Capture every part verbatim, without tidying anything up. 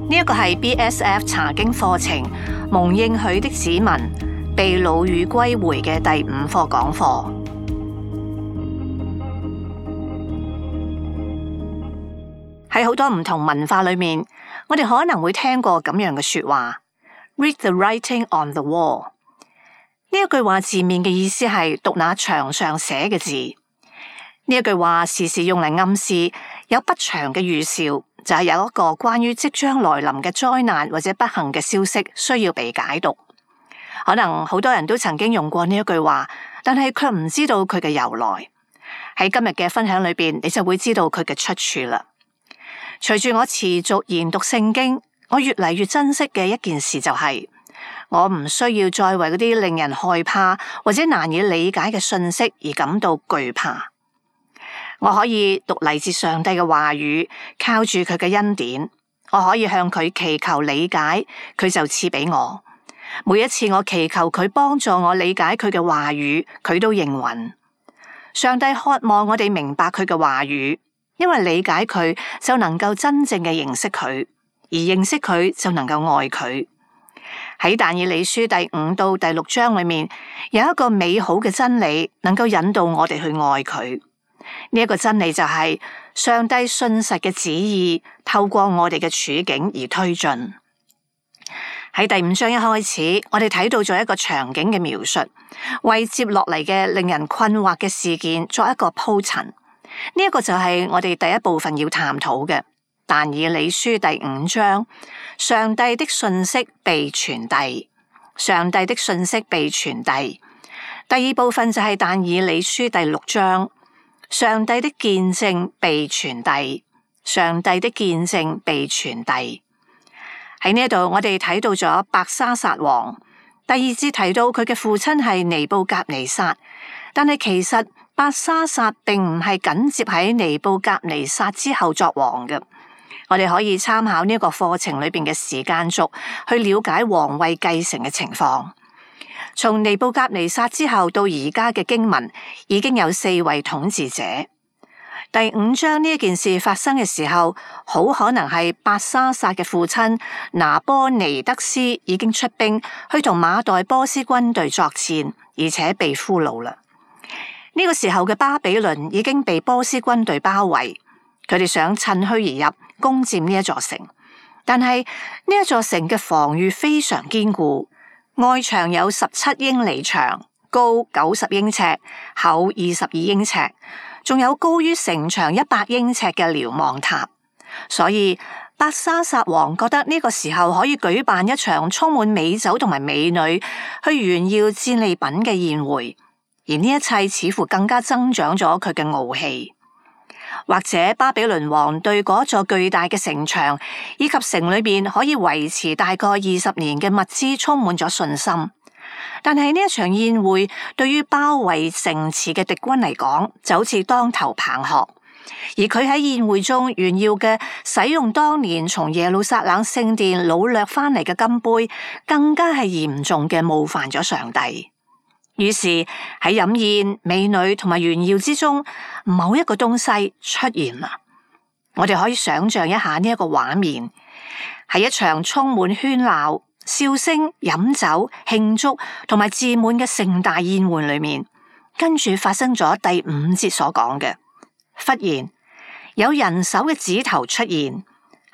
呢一個係 B S F 查經課程蒙應許的子民被擄與歸回嘅第五課講課。喺好多唔同文化裏面，我哋可能會聽過咁樣嘅說話 ：Read the writing on the wall。呢一句話字面嘅意思係讀那牆上寫嘅字。呢一句話時時用嚟暗示有不祥嘅預兆，就係有一個關於即將來臨嘅災難或者不幸嘅消息需要被解讀。可能好多人都曾經用過呢一句話，但係卻唔知道佢嘅由來。喺今日嘅分享裏邊，你就會知道佢嘅出處啦。隨住我持續研讀聖經，我越嚟越珍惜嘅一件事就係、是，我唔需要再為嗰啲令人害怕或者難以理解嘅信息而感到懼怕。我可以讀嚟自上帝嘅話語，靠住佢嘅恩典，我可以向佢祈求理解，佢就賜俾我。每一次我祈求佢幫助我理解佢嘅話語，佢都應允。上帝渴望我哋明白佢嘅話語，因為理解佢就能夠真正嘅認識佢，而認識佢就能夠愛佢。喺但以理書第五到第六章裏面，有一個美好嘅真理，能夠引導我哋去愛佢。呢一個真理就係上帝信實嘅旨意，透過我哋嘅處境而推進。喺第五章一開始，我哋睇到咗一個場景嘅描述，為接落嚟嘅令人困惑嘅事件作一個鋪陳。呢一個就係我哋第一部分要探討嘅。但以理書第五章，上帝的信息被傳遞，上帝的信息被傳遞。第二部分就係但以理書第六章，上帝的見證被傳遞，上帝的見證被傳遞。喺呢度，我哋睇到咗伯沙撒王。第二節提到佢嘅父親係尼布甲尼撒，但係其實伯沙撒並唔係緊接喺尼布甲尼撒之後作王嘅。我哋可以參考呢一個課程裏邊嘅時間軸，去了解皇位繼承嘅情況。從尼布甲尼撒之後到而家嘅經文，已經有四位統治者。第五章呢一件事發生嘅時候，好可能係伯沙撒嘅父親拿波尼德斯已經出兵去同馬代波斯軍隊作戰，而且被俘虜啦。呢個時候嘅巴比倫已經被波斯軍隊包圍，佢哋想趁虛而入，攻佔呢一座城。但係呢一座城嘅防禦非常堅固，外牆有十七英里長，高九十英尺，厚二十二英尺，仲有高於城牆一百英尺嘅瞭望塔。所以伯沙撒王覺得呢個時候可以舉辦一場充滿美酒同埋美女去炫耀戰利品嘅宴會，而呢一切似乎更加增長咗佢嘅傲氣。或者巴比倫王對嗰座巨大嘅城牆以及城裏面可以維持大概二十年嘅物資充滿咗信心，但係呢一場宴會對於包圍城池嘅敵軍嚟講就好似當頭棒喝，而佢喺宴會中炫耀嘅使用當年從耶路撒冷聖殿擄掠翻嚟嘅金杯，更加係嚴重嘅冒犯咗上帝。於是喺飲宴、美女同埋炫耀之中，某一個東西出現啦。我哋可以想象一下呢一個畫面，係一場充滿喧鬧、笑聲、飲酒、慶祝同埋自滿嘅盛大宴會裏面，跟住發生咗第五節所講嘅，忽然有人手嘅指頭出現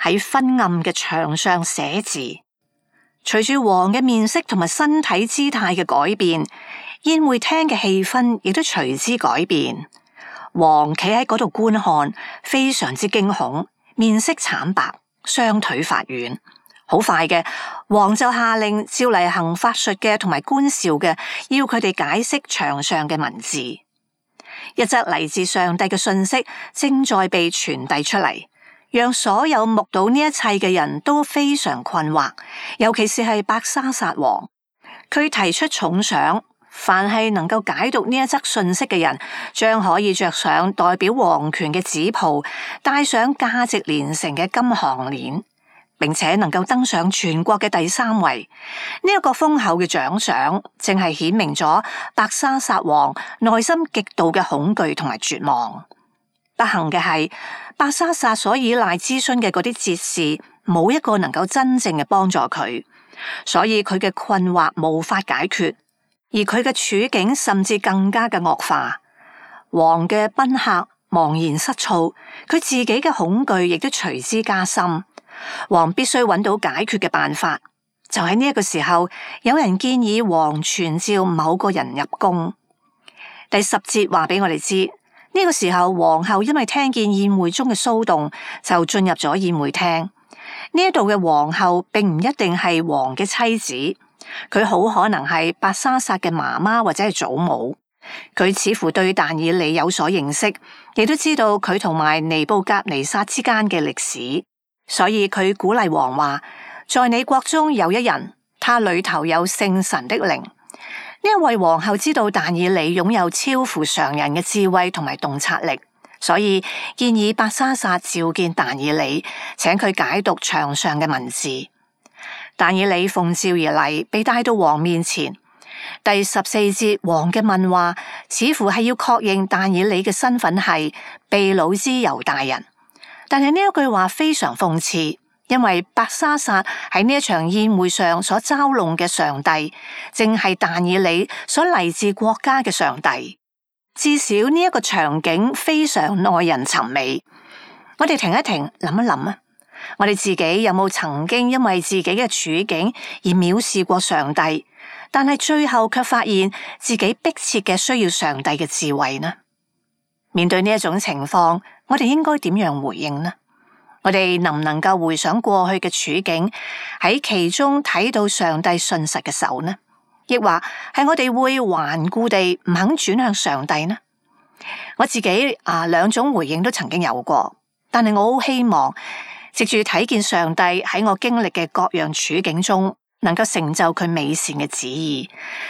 喺昏暗嘅牆上寫字。隨住王嘅面色同埋身體姿態嘅改變，宴會廳嘅氣氛亦都隨之改變。王企喺嗰度觀看，非常之驚恐，面色慘白，雙腿發軟。好快嘅，王就下令召嚟行法術嘅同埋觀兆嘅，要佢哋解釋牆上嘅文字。一則嚟自上帝嘅信息正在被傳遞出嚟，讓所有目睹呢一切嘅人都非常困惑，尤其是係伯沙撒王。佢提出重賞，凡係能夠解讀呢一則信息嘅人，將可以着上代表皇權嘅紫袍，戴上價值連城嘅金項鏈，並且能夠登上全國嘅第三位。呢、這、一個豐厚嘅獎賞，正係顯明咗伯沙撒王內心極度嘅恐懼同埋絕望。不幸嘅係，伯沙撒所依賴諮詢嘅嗰啲哲士，冇一個能夠真正嘅幫助佢，所以佢嘅困惑無法解決，而佢嘅處境甚至更加嘅惡化。王嘅賓客茫然失措，佢自己嘅恐懼亦都隨之加深。王必須揾到解決嘅辦法。就喺呢一個時候，有人建議王傳召某個人入宮。第十節話俾我哋知，呢個時候皇后因為聽見宴會中嘅騷動，就進入咗宴會廳。呢一度嘅皇后並唔一定係王嘅妻子，佢好可能係伯沙撒嘅媽媽或者係祖母。佢似乎對但以理有所認識，亦都知道佢同埋尼布甲尼撒之間嘅歷史，所以佢鼓勵王話：在你國中有一人，他裏頭有聖神的靈。呢一位皇后知道但以理擁有超乎常人嘅智慧同埋洞察力，所以建議伯沙撒召見但以理，請佢解讀牆上嘅文字。但以理奉召而嚟，被帶到王面前。第十四節，王嘅問話似乎係要確認但以理嘅身份係被擄之猶大人，但係呢一句話非常諷刺，因為伯沙撒喺呢一場宴會上所嘲弄嘅上帝，正係但以理所嚟自國家嘅上帝。至少呢一個場景非常耐人尋味。我哋停一停，諗一諗啊，我哋自己有冇曾經因為自己嘅處境而藐視過上帝？但係最後卻發現自己迫切嘅需要上帝嘅智慧呢？面對呢一種情況，我哋應該點樣回應呢？我哋能唔能夠回想過去嘅處境，喺其中睇到上帝信實嘅手呢？抑或係我哋會頑固地唔肯轉向上帝呢？我自己啊，兩種回應都曾經有過，但係我好希望藉住睇見上帝喺我經歷嘅各樣處境中，能夠成就佢美善嘅旨意，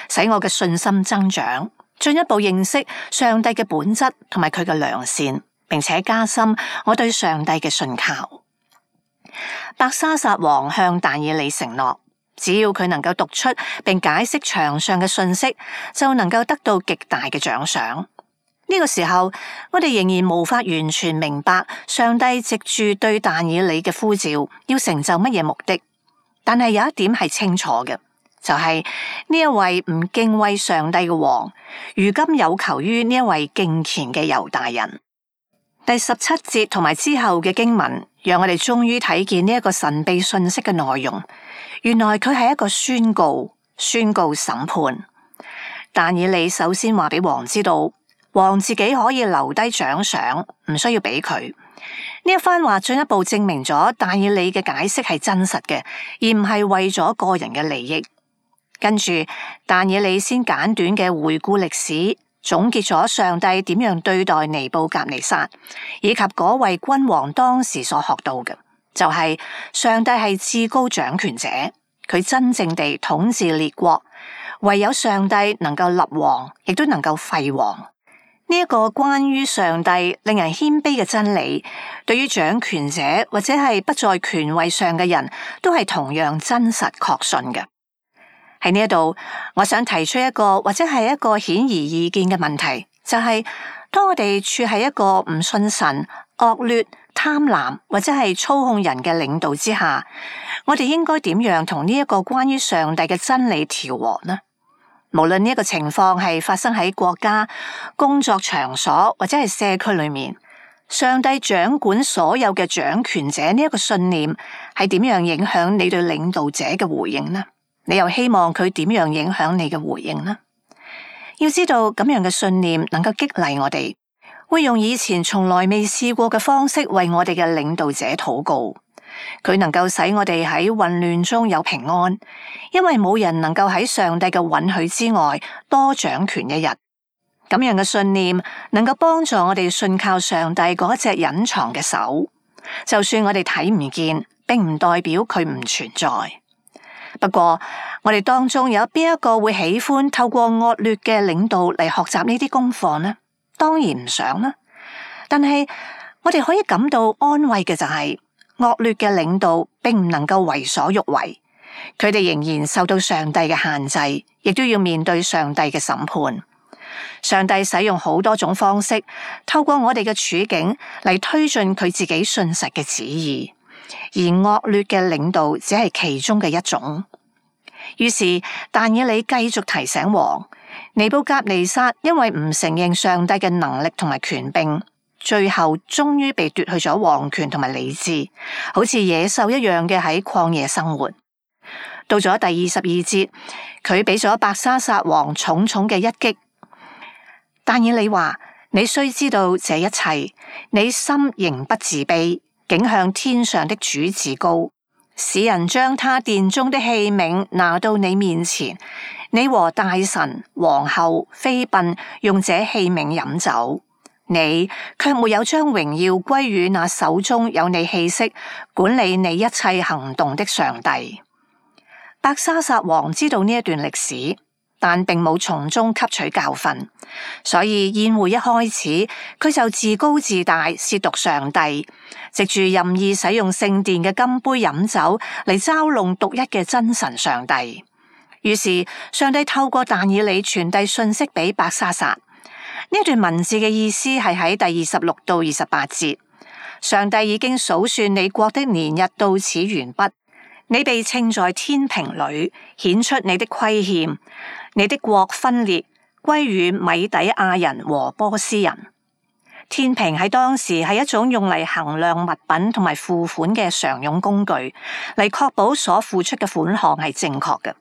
使我嘅信心增長，進一步認識上帝嘅本質同埋佢嘅良善，並且加深我對上帝嘅信靠。伯沙撒王向但以理承諾，只要佢能夠讀出並解釋牆上嘅信息，就能夠得到極大嘅獎賞。呢、這個時候，我哋仍然無法完全明白上帝藉住對但以理嘅呼召，要成就乜嘢目的。但係有一點係清楚嘅，就係、是、呢一位唔敬畏上帝嘅王，如今有求於呢一位敬虔嘅猶大人。第十七節同埋之後嘅經文，讓我哋終於睇見呢一個神秘信息嘅內容。原來佢係一個宣告，宣告審判。但以理首先話俾王知道，王自己可以留低獎賞，唔需要俾佢。呢一番話進一步證明咗但以理嘅解釋係真實嘅，而唔係為咗個人嘅利益。跟住但以理先簡短嘅回顧歷史，總結咗上帝點樣對待尼布甲尼撒，以及嗰位君王當時所學到嘅，就係、是、上帝係至高掌權者，佢真正地統治列國，唯有上帝能夠立王，亦都能夠廢王。呢一個關於上帝令人謙卑嘅真理，對於掌權者或者係不在權位上嘅人都係同樣真實確信嘅。喺呢一度，我想提出一個或者係一個顯而易見嘅問題，就係、是、當我哋處喺一個唔信神、惡劣、貪婪或者係操控人嘅領導之下，我哋應該點樣同呢一個關於上帝嘅真理調和呢？無論呢一個情況係發生喺國家、工作場所或者係社區裏面，上帝掌管所有嘅掌權者呢一個信念係點樣影響你對領導者嘅回應呢？你又希望佢點樣影響你嘅回應呢？要知道咁樣嘅信念能夠激勵我哋，會用以前從來未試過嘅方式為我哋嘅領導者禱告。佢能夠使我哋喺混亂中有平安，因為冇人能夠喺上帝嘅允許之外多掌權一日。咁樣嘅信念能夠幫助我哋信靠上帝嗰隻隱藏嘅手，就算我哋睇唔見，並唔代表佢唔存在。不過我哋當中有邊一個會喜歡透過惡劣嘅領導嚟學習呢啲功課呢？當然唔想啦。但係我哋可以感到安慰嘅就係、是，惡劣嘅領導並唔能夠為所欲為，佢哋仍然受到上帝嘅限制，亦都要面對上帝嘅審判。上帝使用好多種方式，透過我哋嘅處境嚟推進佢自己信實嘅旨意。而惡劣嘅領導只係其中嘅一種。於是但以理繼續提醒王，尼布甲尼撒因為唔承認上帝嘅能力同埋權柄，最後終於被奪去咗王權同埋理智，好似野獸一樣嘅喺曠野生活。到咗第二十二節，佢俾咗伯沙撒王重重嘅一擊。但以理話：你須知道這一切，你心仍不自卑，竟向天上的主自高，使人將他殿中的器皿拿到你面前，你和大臣、皇后、妃嬪用這器皿飲酒，你卻沒有將榮耀歸於那手中有你氣息、管理你一切行動的上帝。伯沙撒王知道呢一段歷史，但並冇從中吸取教訓，所以宴會一開始，佢就自高自大，褻瀆上帝，藉住任意使用聖殿嘅金杯飲酒嚟嘲弄獨一嘅真神上帝。於是上帝透過但以理傳遞訊息俾伯沙撒。呢段文字嘅意思係喺第二十六到二十八節，上帝已經數算你國的年日到此完畢。你被稱在天平裏，顯出你的虧欠，你的國分裂，歸於米底亞人和波斯人。天平喺當時係一種用嚟衡量物品同埋付款嘅常用工具，嚟確保所付出嘅款項係正確嘅。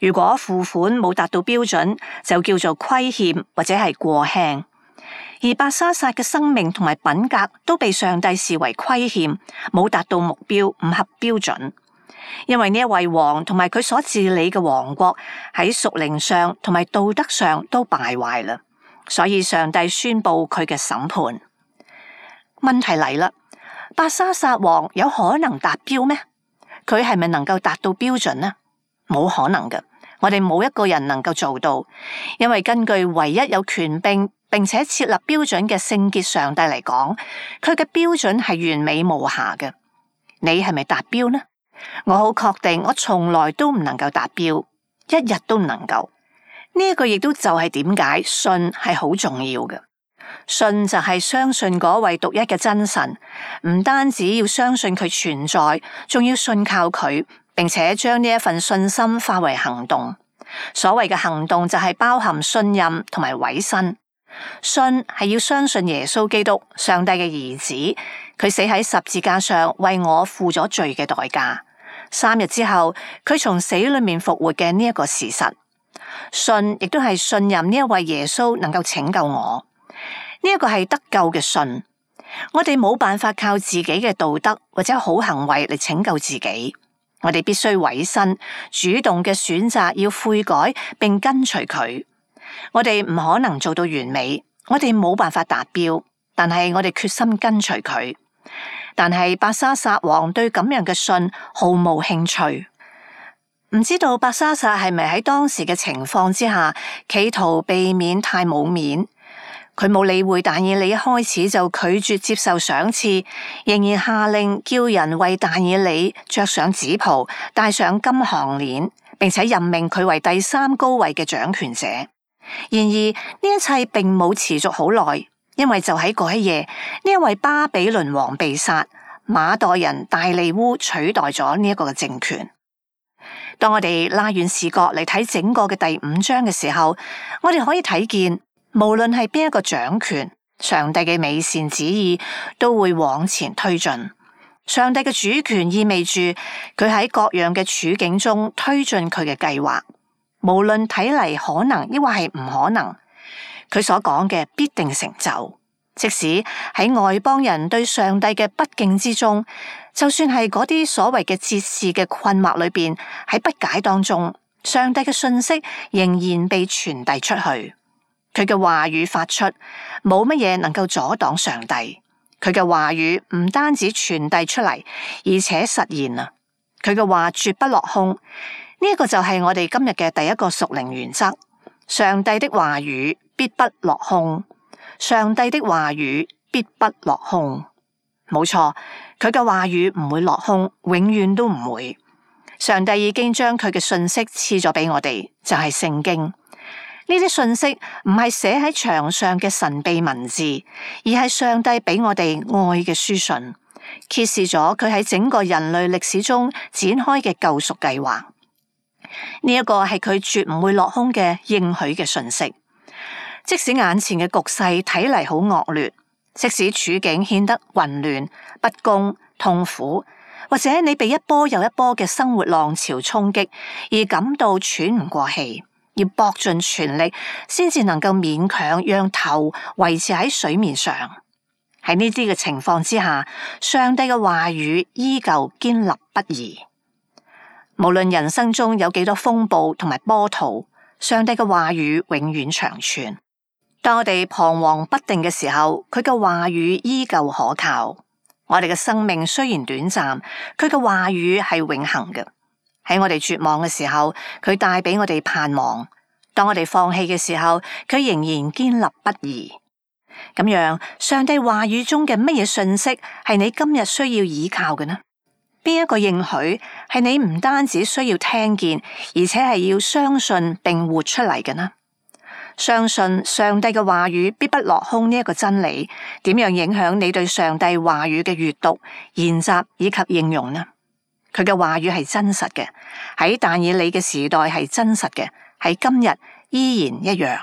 如果付款冇達到標準，就叫做虧欠或者係過輕。而伯沙撒嘅生命同埋品格都被上帝視為虧欠，冇達到目標，唔合標準。因為呢一位王同埋佢所治理嘅王國喺屬靈上同埋道德上都敗壞啦，所以上帝宣布佢嘅審判。問題嚟啦，伯沙撒王有可能達標咩？佢係咪能夠達到標準呢？冇可能嘅，我哋冇一個人能夠做到，因為根據唯一有權柄並且設立標準嘅聖潔上帝嚟講，佢嘅標準係完美無瑕嘅。你係咪達標呢？我好確定，我從來都唔能夠達標，一日都唔能夠。呢一個亦都就係點解信係好重要嘅。信就係相信嗰位獨一嘅真神，唔單止要相信佢存在，仲要信靠佢，並且將呢一份信心化為行動。所謂嘅行動就係包含信任同埋委身。信係要相信耶穌基督，上帝嘅兒子，佢死喺十字架上為我付咗罪嘅代價。三日之後，佢從死裏面復活嘅呢一個事實。信亦都係信任呢一位耶穌能夠拯救我。呢一個係得救嘅信。我哋冇辦法靠自己嘅道德或者好行為嚟拯救自己。我哋必須委身，主動嘅選擇要悔改並跟隨佢。我哋唔可能做到完美，我哋冇辦法達標，但係我哋決心跟隨佢。但係伯沙撒王對咁樣嘅信毫無興趣。唔知道伯沙撒係咪喺當時嘅情況之下，企圖避免太冇面？佢冇理會但以理一開始就拒絕接受賞賜，仍然下令叫人為但以理着上紫袍，戴上金項鏈，並且任命佢為第三高位嘅掌權者。然而呢一切並冇持續好耐，因為就喺嗰一夜，呢一位巴比倫王被殺，馬代人大利烏取代咗呢一個嘅政權。當我哋拉遠視角嚟睇整個嘅第五章嘅時候，我哋可以睇見，無論係邊一個掌權，上帝嘅美善旨意都會往前推進。上帝嘅主權意味住佢喺各樣嘅處境中推進佢嘅計劃，無論睇嚟可能抑或係唔可能，佢所講嘅必定成就。即使喺外邦人對上帝嘅不敬之中，就算係嗰啲所謂嘅哲士嘅困惑裏邊，喺不解當中，上帝嘅訊息仍然被傳遞出去。佢嘅話語發出，冇乜嘢能夠阻擋上帝。佢嘅話語唔單止傳遞出嚟，而且實現啦。佢嘅話絕不落空。呢一個就係我哋今日嘅第一個屬靈原則。上帝的話語必不落空。上帝的話語必不落空。冇錯，佢嘅話語唔會落空，永遠都唔會。上帝已經將佢嘅信息賜咗俾我哋，就係聖經。呢啲信息唔係寫喺牆上嘅神秘文字，而係上帝俾我哋愛嘅書信。揭示咗佢喺整個人類歷史中展開嘅救贖計劃。呢一個係佢絕唔會落空嘅應許嘅訊息。即使眼前嘅局勢睇嚟好惡劣，即使處境顯得混亂、不公、痛苦，或者你被一波又一波嘅生活浪潮衝擊而感到喘唔過氣，要搏盡全力先至能夠勉強讓頭維持喺水面上。喺呢啲嘅情況之下，上帝嘅話語依舊堅立不移。無論人生中有幾多風暴同埋波濤，上帝嘅話語永遠長存。當我哋彷徨不定嘅時候，佢嘅話語依舊可靠。我哋嘅生命雖然短暫，佢嘅話語係永恆嘅。喺我哋絕望嘅時候，佢帶俾我哋盼望；當我哋放棄嘅時候，佢仍然堅立不移。咁樣，上帝話語中嘅乜嘢訊息係你今日需要依靠嘅呢？邊一個應許係你唔單止需要聽見，而且係要相信並活出嚟嘅呢？相信上帝嘅話語必不落空呢一個真理，點樣影響你對上帝話語嘅閱讀、研習以及應用呢？佢嘅話語係真實嘅，喺但以理嘅時代係真實嘅，喺今日依然一樣。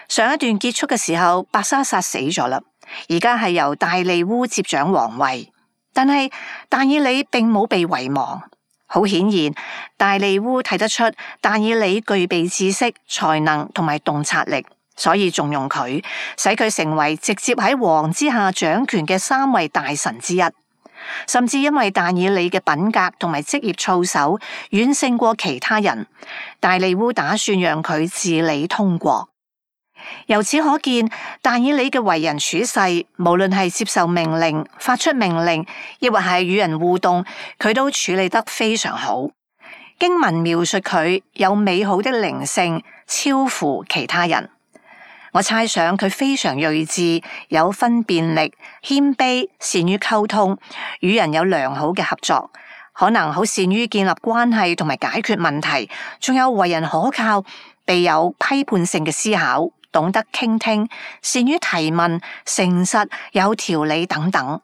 上一段結束嘅時候，伯沙撒死咗啦，而家係由大利烏接掌皇位，但係但以理並冇被遺忘。好顯然，大利烏睇得出但以理具備知識、才能同埋洞察力，所以重用佢，使佢成為直接喺王之下掌權嘅三位大臣之一。甚至因為但以理嘅品格同埋職業操守遠勝過其他人，大利烏打算讓佢治理通國。由此可見，但以理嘅為人處世，無論係接受命令、發出命令，亦或係與人互動，佢都處理得非常好。經文描述佢有美好的靈性，超乎其他人。我猜想佢非常睿智，有分辨力，謙卑，善於溝通，與人有良好嘅合作，可能好善於建立關係同埋解決問題，仲有為人可靠，備有批判性嘅思考，懂得傾聽，善於提問，誠實，有條理等等。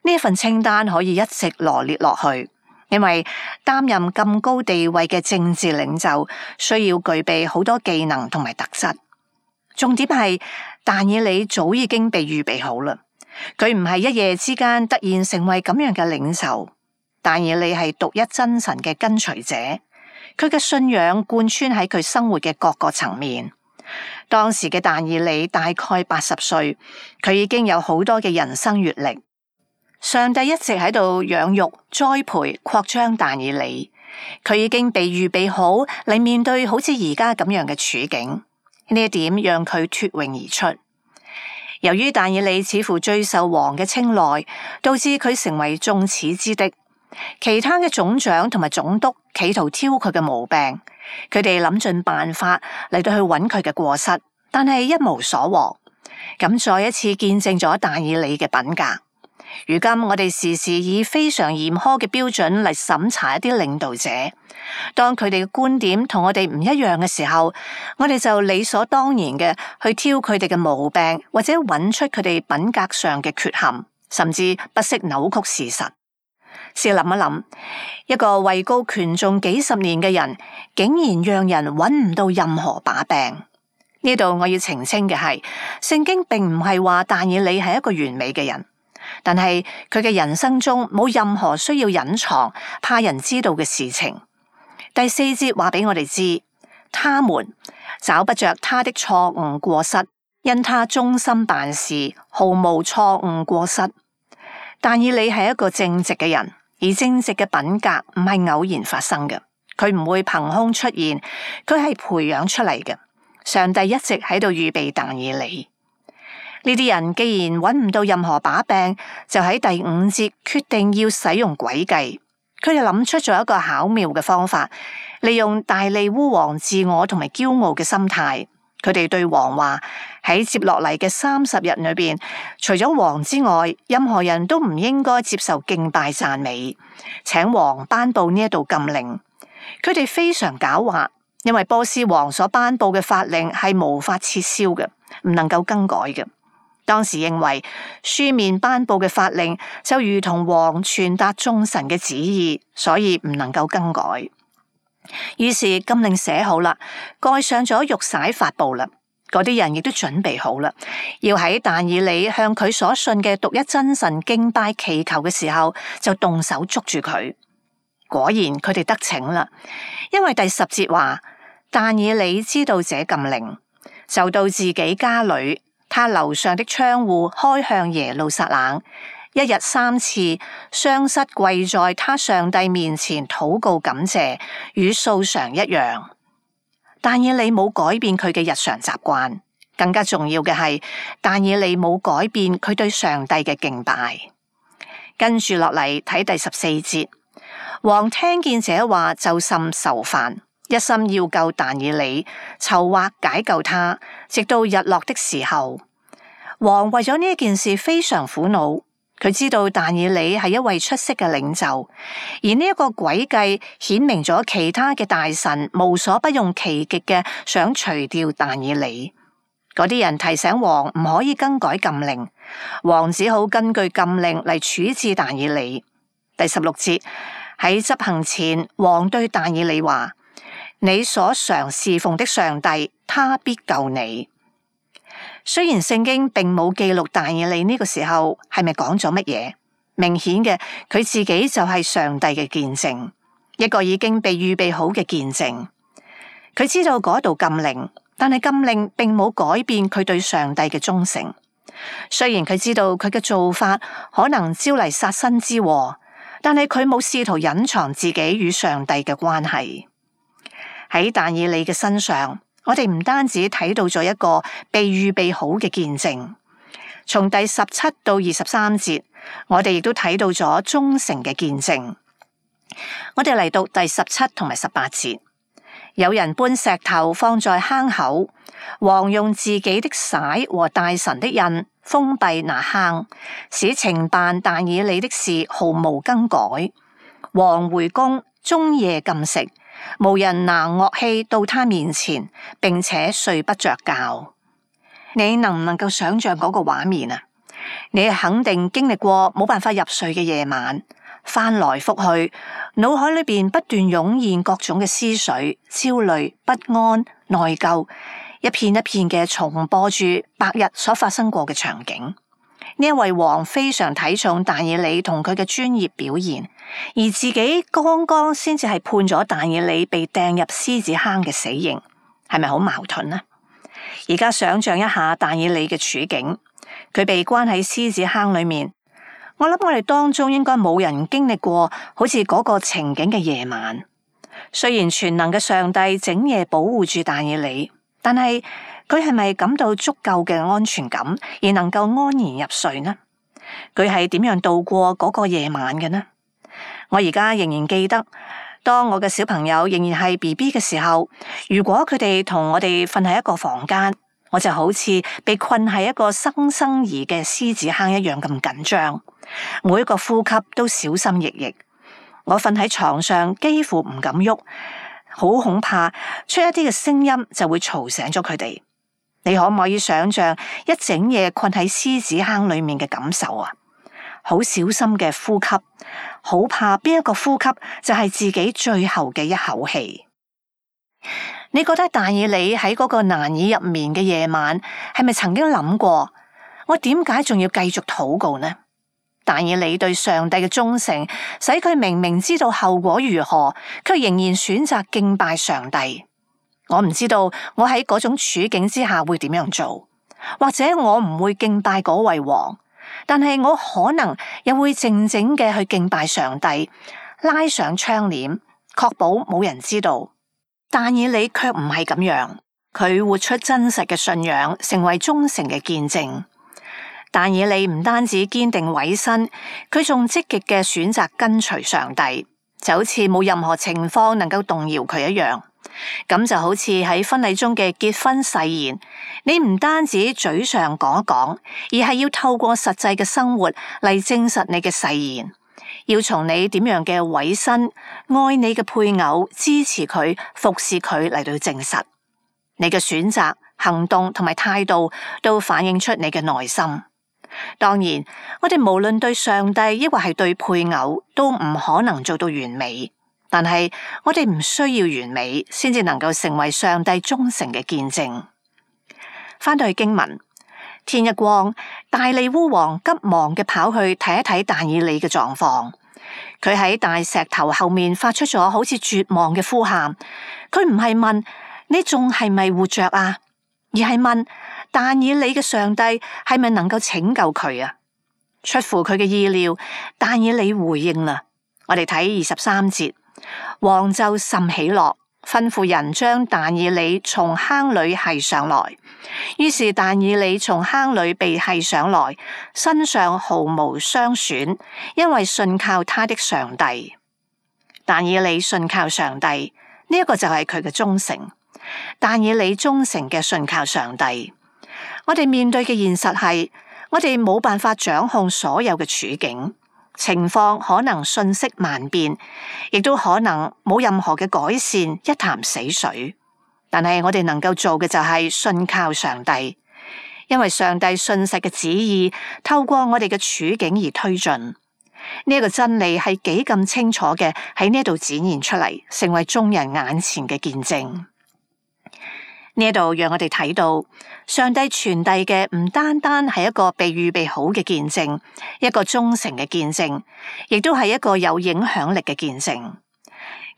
呢份清單可以一直羅列落去，因為擔任咁高地位嘅政治領袖，需要具備好多技能同埋特質。重點係但以理早已經被預備好啦，佢唔係一夜之間突然成為咁樣嘅領袖。但以理係獨一真神嘅跟隨者，佢嘅信仰貫穿喺佢生活嘅各個層面。當時嘅但以理大概八十歲，佢已經有好多嘅人生閱歷。上帝一直喺度養育、栽培、擴張但以理，佢已經被預備好嚟面對好似而家咁樣嘅處境。呢一點讓佢脫穎而出。由於但以理似乎最受王嘅青睞，導致佢成為眾矢之的。其他嘅總長同埋總督企圖挑佢嘅毛病，佢哋諗盡辦法嚟到去揾佢嘅過失，但係一無所獲。咁再一次見證咗但以理嘅品格。如今我哋時時以非常嚴苛嘅標準嚟審查一啲領導者，當佢哋嘅觀點同我哋唔一樣嘅時候，我哋就理所當然嘅去挑佢哋嘅毛病，或者揾出佢哋品格上嘅缺陷，甚至不惜扭曲事實。試諗一諗，一個位高權重幾十年嘅人，竟然讓人揾唔到任何把柄。呢度我要澄清嘅係，聖經並唔係話但以理係一個完美嘅人。但係佢嘅人生中冇任何需要隱藏、怕人知道嘅事情。第四節話俾我哋知，他們找不着他的錯誤過失，因他忠心辦事，毫無錯誤過失。但以理係一個正直嘅人，而正直嘅品格唔係偶然發生嘅，佢唔會憑空出現，佢係培養出嚟嘅。上帝一直喺度預備但以理。呢啲人既然揾唔到任何把柄，就喺第五節決定要使用詭計。佢哋諗出咗一個巧妙嘅方法，利用大利烏王自我同埋驕傲嘅心態。佢哋對王話：喺接落嚟嘅三十日裏邊，除咗王之外，任何人都唔應該接受敬拜讚美。請王頒布呢一道禁令。佢哋非常狡猾，因為波斯王所頒布嘅法令係無法撤銷嘅，唔能夠更改嘅。當時認為書面頒布嘅法令就如同王傳達眾神嘅旨意，所以唔能夠更改。於是禁令寫好啦，蓋上咗玉璽發布啦。嗰啲人亦都準備好啦，要喺但以理向佢所信嘅獨一真神敬拜祈求嘅時候，就動手捉住佢。果然佢哋得逞啦，因為第十節話，但以理知道這禁令，就到自己家裏，他樓上的窗戶開向耶路撒冷，一日三次，雙膝跪在他上帝面前禱告感謝，與素常一樣。但以理冇改變佢嘅日常習慣，更加重要嘅係，但以理冇改變佢對上帝嘅敬拜。跟住落嚟睇第十四節，王聽見這話就甚愁煩，一心要救但以理，籌劃解救他，直到日落的時候。王為咗呢一件事非常苦惱。佢知道但以理係一位出色嘅領袖，而呢一個詭計顯明咗其他嘅大臣無所不用其極嘅想除掉但以理。嗰啲人提醒王唔可以更改禁令，王只好根據禁令嚟處置但以理。第十六節，喺執行前，王對但以理話：你所常侍奉的上帝，他必救你。雖然聖經並冇記錄但以理呢個時候係咪講咗乜嘢，明顯嘅佢自己就係上帝嘅見證，一個已經被預備好嘅見證。佢知道嗰度禁令，但係禁令並冇改變佢對上帝嘅忠誠。雖然佢知道佢嘅做法可能招嚟殺身之禍，但係佢冇試圖隱藏自己與上帝嘅關係。喺但以理嘅身上，我哋唔單止睇到咗一個被預備好嘅見證，從第十七到二十三節，我哋亦都睇到咗忠誠嘅見證。我哋嚟讀第十七同埋十八節，有人搬石頭放在坑口，王用自己的璽和大臣的印封閉那坑，使懲辦但以理的事毫無更改。王回宮，終夜禁食，無人拿樂器到他面前，並且睡不着覺。你能唔能夠想象嗰個畫面啊？你肯定經歷過冇辦法入睡嘅夜晚，翻來覆去，腦海裏邊不斷湧現各種嘅思緒、焦慮、不安、內疚，一片一片嘅重播住白日所發生過嘅場景。呢一位王非常睇重但以理同佢嘅專業表現，而自己剛剛先至係判咗但以理被掟入獅子坑嘅死刑，係咪好矛盾呢？而家想象一下但以理嘅處境，佢被關喺獅子坑裏面，我諗我哋當中應該冇人經歷過好似嗰個情景嘅夜晚。雖然全能嘅上帝整夜保護住但以理，但係佢係咪感到足夠嘅安全感，而能夠安然入睡呢？佢係點樣度過嗰個夜晚嘅呢？我而家仍然記得，當我嘅小朋友仍然係 B B 嘅時候，如果佢哋同我哋瞓喺一個房間，我就好似被困喺一個生生兒嘅獅子坑一樣咁緊張，每一個呼吸都小心翼翼。我瞓喺床上幾乎唔敢喐，好恐怕出一啲嘅聲音就會嘈醒咗佢哋。你可唔可以想象一整夜困喺獅子坑裏面嘅感受啊？好小心嘅呼吸，好怕邊一個呼吸就係自己最後嘅一口氣。你覺得但以理喺嗰個難以入眠嘅夜晚，係咪曾經諗過，我點解仲要繼續禱告呢？但以理對上帝嘅忠誠，使佢明明知道後果如何，卻仍然選擇敬拜上帝。我唔知道我喺嗰種處境之下會點樣做，或者我唔會敬拜嗰位王，但係我可能又會靜靜嘅去敬拜上帝，拉上窗簾，確保冇人知道。但以理卻唔係咁樣，佢活出真實嘅信仰，成為忠誠嘅見證。但以理唔單止堅定委身，佢仲積極嘅選擇跟隨上帝，就好似冇任何情況能夠動搖佢一樣。咁就好似喺婚禮中嘅結婚誓言，你唔單止嘴上講一講，而係要透過實際嘅生活嚟證實你嘅誓言。要從你點樣嘅委身、愛你嘅配偶、支持佢、服侍佢嚟到證實你嘅選擇，行動同埋態度都反映出你嘅內心。當然，我哋無論對上帝抑或係對配偶，都唔可能做到完美。但係我哋唔需要完美，先至能夠成為上帝忠誠嘅見證。翻到去經文，天一光，大利烏王急忙嘅跑去睇一睇但以理嘅狀況。佢喺大石頭後面發出咗好似絕望嘅呼喊。佢唔係問你仲係咪活着啊，而係問但以理嘅上帝係咪能夠拯救佢啊？出乎佢嘅意料，但以理回應啦。我哋睇二十三節。王就甚喜樂，吩咐人將但以理從坑裏繫上來。於是但以理從坑裏被繫上來，身上毫無傷損，因為信靠他的上帝。但以理信靠上帝，呢、這、一個就係佢嘅忠誠。但以理忠誠嘅信靠上帝。我哋面對嘅現實係，我哋冇辦法掌控所有嘅處境。情況可能瞬息萬變，亦都可能冇任何嘅改善，一潭死水。但係我哋能夠做嘅就係信靠上帝，因為上帝信實嘅旨意透過我哋嘅處境而推進。呢、這、一個真理係幾咁清楚嘅喺呢度展現出嚟，成為眾人眼前嘅見證。呢度讓我哋睇到上帝傳遞嘅唔單單係一個被預備好嘅見證，一個忠誠嘅見證，亦都係一個有影響力嘅見證。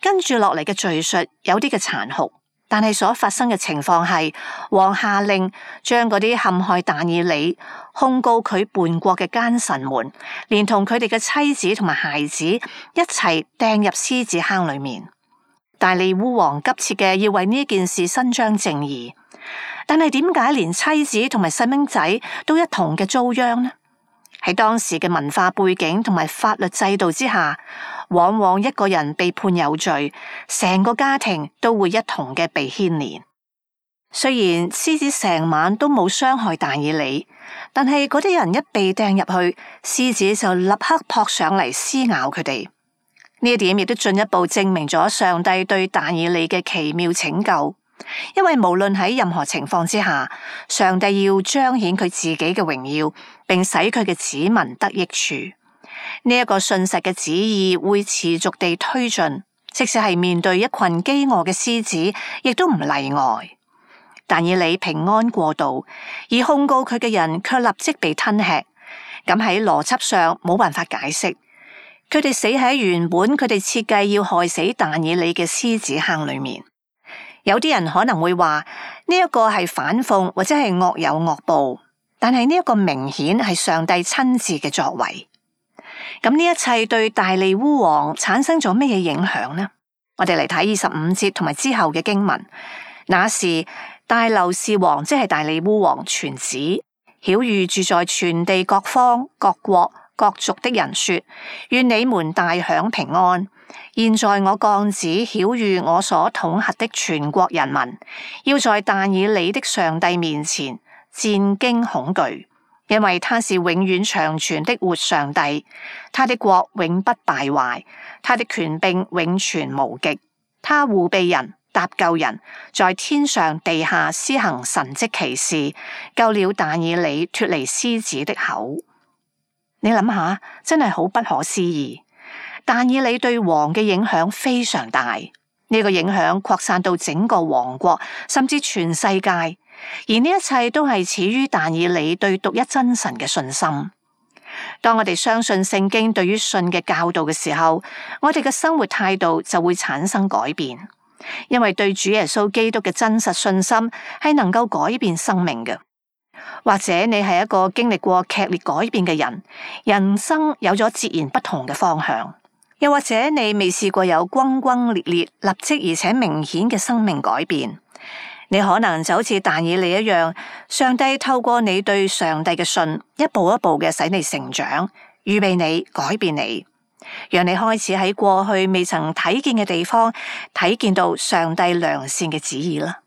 跟住落嚟嘅敘述有啲嘅殘酷，但係所發生嘅情況係王下令將嗰啲陷害但以理、控告佢叛國嘅奸臣們，連同佢哋嘅妻子同埋孩子一齊掟入獅子坑裏面。大利烏王急切嘅要為呢件事伸張正義，但係點解連妻子同埋細蚊仔都一同嘅遭殃呢？喺當時嘅文化背景同埋法律制度之下，往往一個人被判有罪，成個家庭都會一同嘅被牽連。雖然獅子成晚都冇傷害但以理，但係嗰啲人一被掟入去，獅子就立刻撲上嚟撕咬佢哋。呢一點亦都進一步證明咗上帝對但以理嘅奇妙拯救，因為無論喺任何情況之下，上帝要彰顯佢自己嘅榮耀，並使佢嘅子民得益處。呢、這、一個信實嘅旨意會持續地推進，即使係面對一群飢餓嘅獅子，亦都唔例外。但以理平安過渡，而控告佢嘅人卻立即被吞吃，咁喺邏輯上冇辦法解釋。佢哋死喺原本佢哋設計要害死但以理嘅獅子坑裏面。有啲人可能會話呢一個係反諷或者係惡有惡報，但係呢一個明顯係上帝親自嘅作為。咁呢一切對大利烏王產生咗咩嘢影響呢？我哋嚟睇二十五節同埋之後嘅經文。那時大流士王即係大利烏王傳旨，曉諭住在全地各方各國各族的人說：願你們大享平安。現在我降旨曉諭我所統轄的全國人民，要在但以理的上帝面前戰驚恐懼，因為他是永遠長存的活上帝，他的國永不敗壞，他的權柄永存無極，他護庇人，搭救人，在天上地下施行神蹟奇事，救了但以理脫離獅子的口。你諗下，真係好不可思議。但以理對王嘅影響非常大，呢、這個影響擴散到整個王國，甚至全世界。而呢一切都係始於但以理對獨一真神嘅信心。當我哋相信聖經對於信嘅教導嘅時候，我哋嘅生活態度就會產生改變，因為對主耶穌基督嘅真實信心係能夠改變生命嘅。或者你係一個經歷過劇烈改變嘅人，人生有咗截然不同嘅方向；又或者你未試過有轟轟烈烈、立即而且明顯嘅生命改變，你可能就好似但以理一樣，上帝透過你對上帝嘅信，一步一步嘅使你成長，預備你、改變你，讓你開始喺過去未曾睇見嘅地方睇見到上帝良善嘅旨意啦。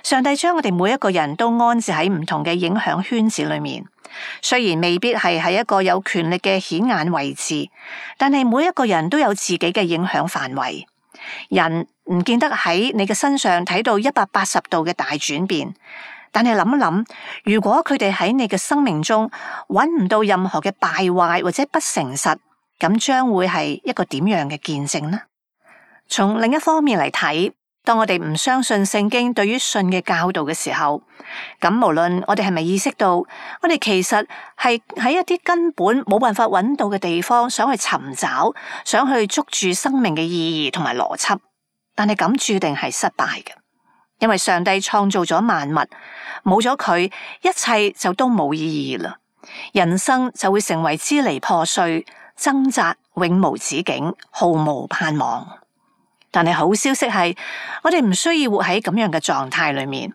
上帝將我哋每一個人都安置喺唔同嘅影響圈子裏面，雖然未必係喺一個有權力嘅顯眼位置，但係每一個人都有自己嘅影響範圍。人唔見得喺你嘅身上睇到一百八十度嘅大轉變，但係諗一諗，如果佢哋喺你嘅生命中揾唔到任何嘅敗壞或者不誠實，咁將會係一個點樣嘅見證呢？從另一方面嚟睇，當我哋唔相信聖經對於信嘅教導嘅時候，咁無論我哋係咪意識到，我哋其實係喺一啲根本冇辦法揾到嘅地方，想去尋找，想去捉住生命嘅意義同埋邏輯，但係咁注定係失敗嘅，因為上帝創造咗萬物，冇咗佢，一切就都冇意義啦，人生就會成為支離破碎、掙扎、永無止境、毫無盼望。但係好消息係，我哋唔需要活喺咁樣嘅狀態裏面。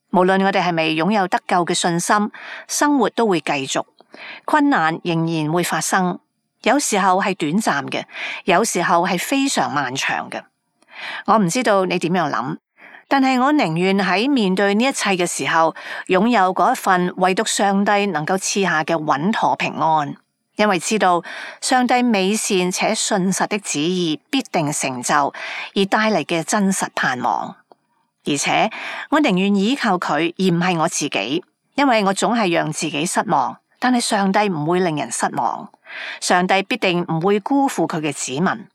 無論我哋係咪擁有得救嘅信心，生活都會繼續，困難仍然會發生。有時候係短暫嘅，有時候係非常漫長嘅。我唔知道你點樣諗，但係我寧願喺面對呢一切嘅時候，擁有嗰一份唯獨上帝能夠賜下嘅穩妥平安。因為知道上帝美善且信實的旨意必定成就，而帶嚟嘅真實盼望。而且我寧願依靠佢，而唔係我自己，因為我總係讓自己失望，但係上帝唔會令人失望，上帝必定唔會辜負佢嘅子民。呢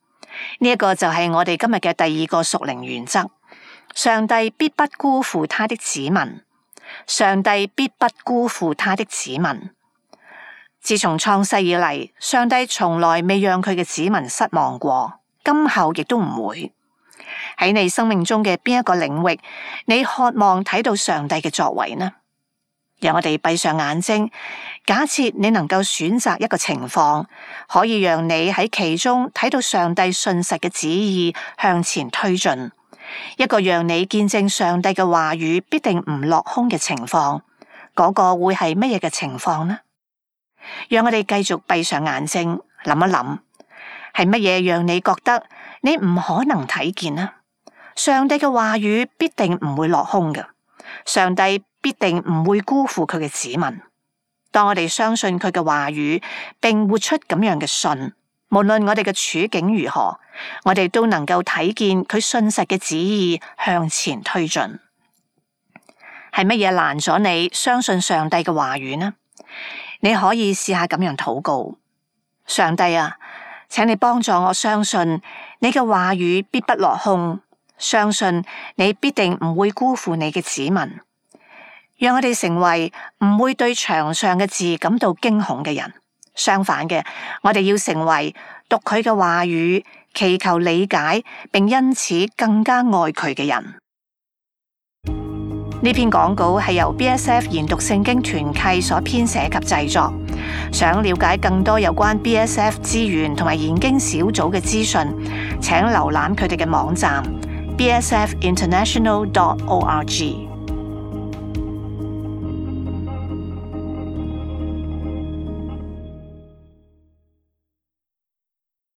一個就係我哋今日嘅第二個屬靈原則：上帝必不辜負他的子民，上帝必不辜負他的子民。自從創世以嚟，上帝從來未讓佢嘅子民失望過，今後亦都唔會。喺你生命中嘅邊一個領域，你渴望睇到上帝嘅作為呢？讓我哋閉上眼睛，假設你能夠選擇一個情況，可以讓你喺其中睇到上帝信實嘅旨意向前推進，一個讓你見證上帝嘅話語必定唔落空嘅情況，嗰個會係乜嘢嘅情況呢？讓我哋繼續閉上眼睛，諗一諗，係乜嘢讓你覺得你唔可能睇見呢？上帝嘅話語必定唔會落空嘅，上帝必定唔會辜負佢嘅子民。當我哋相信佢嘅話語，並活出咁樣嘅信，無論我哋嘅處境如何，我哋都能夠睇見佢信實嘅旨意向前推進。係乜嘢攔咗你相信上帝嘅話語呢？你可以試下咁樣禱告：上帝啊，請你幫助我相信你嘅話語必不落空，相信你必定唔會辜負你嘅子民。讓我哋成為唔會對牆上嘅字感到驚恐嘅人，相反嘅，我哋要成為讀佢嘅話語，祈求理解，並因此更加愛佢嘅人。呢篇講稿係由 B S F 研讀聖經團契所編寫及製作。想了解更多有關 B S F 資源同埋研經小組嘅資訊，請瀏覽佢哋嘅網站 b s f international dot org。